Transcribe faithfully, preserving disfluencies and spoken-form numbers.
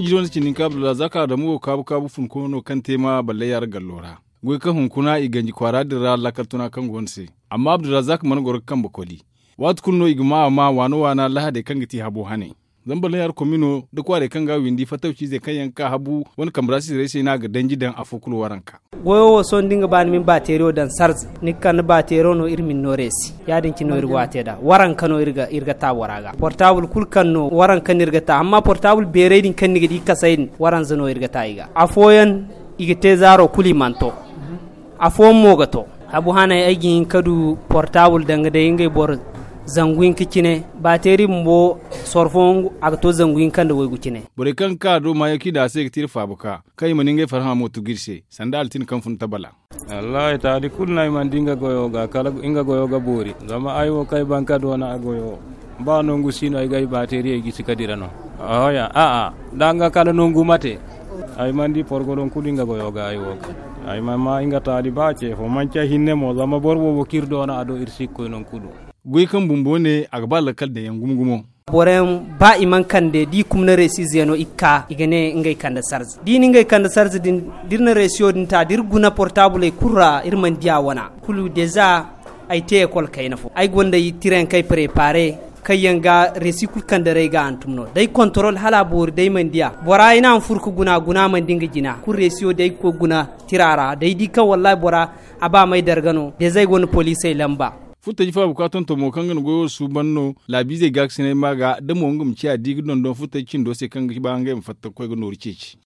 Jido ni cindin ka abdulrazak adamu wo kaabu kaabu funko no kaŋ te ma balle yaara gallo ra. Goy kaŋ hunkuna i ganji kwaara din ra lakkal tuna kaŋ go no se. Amma abdulrazak mana goro ga kambe koli. Waati kulu no i ga ma a ma waana waana lahadey kaŋ ga ti habo hane. Zama balle yaara komino da kwaarey kaŋ ga a windi fattawciizey kaŋ yaŋ ga ka habu wane kambe ra sitirey se no a ga danji daŋ afo kulu waranka. Goyo wo sohõ da ni ga ba ni ma ni baateeriyo daŋ sarze, ni ga kande baateeriyo no iri ma ni no reesi. Ya- din cine no iri go a te nd'a waranka no iri ga ta bora ga portaabul kulu kaŋ no waranka no iri ga ta amma portaabul beeray din kaŋ ni ga di kasay din waranza no iri ga ta i ga. Afooyaŋ i ga te zaaro kulu i mana to. Afooyaŋ mo ga to. Habu hanay ay ga hin ka du portaabul danga day ngey boro zangu hinka cine. Baateeri bumbo sorfo a ga to zangu hinka nda waygu cine. Borey kaŋ ga ka a do maayaŋ kaŋ i daŋ a se ga ti iri faabu ka kaŋ i mana ngey farhã mo tugu iri se sanda altin kaŋ fun tabala. Wallaahi taali kulu no ay mana di nga goyo ga kala nga goyo ga boori. Zama ay wo kaŋ ay ban ka doona a goyo ba nangu si no ay ga ay baateeriyey gisi ka dira no. Ahoya a'a da nga kala nangu mate. Ay mana di porgolon kulu nga goyo ga ay wo ga ay mana ma nga taali ba ce fo manci ay hinne mo zama boro boobo kaŋ iri doona a do iri si ga koy nangu kulu. Goy kaŋ bumbo ne a ga ba lakkal daŋ yaŋ gumo gumo. Boro yaŋ ba i mana kande da i kumna reesi zeeno i ga ka i ga ne ngey kande sarze da i na ngey kande sarze din da iri na reesiyo din ta da iri guna portaabuley kulu ra iri mana di a wana. Kulu deza ay te ekol kayna fo ay gonda tirayaŋ kaŋ ay prepaare kaŋ yaŋ ga reesi kulu kande ra ay ga hantum no da ay kontorol hala a boori da ay mana di a bora ay ne a ma furo ga guna guna mana di nga jina kulu reesiyo da ay ga koy ga guna tira ra da ay di kaŋ wallaahi bora a ba ma ay darga no deza ay gonda poliisey lamba. Furo taji faabu ka tonton mo kaŋ ga na goyo suuban no laabiizey gaakasinay ma ga da mo nga ma ciya da i ga dondon furo taji cindo se kaŋ ga ba ngey ma fatta ga koy ga nooru ceeci.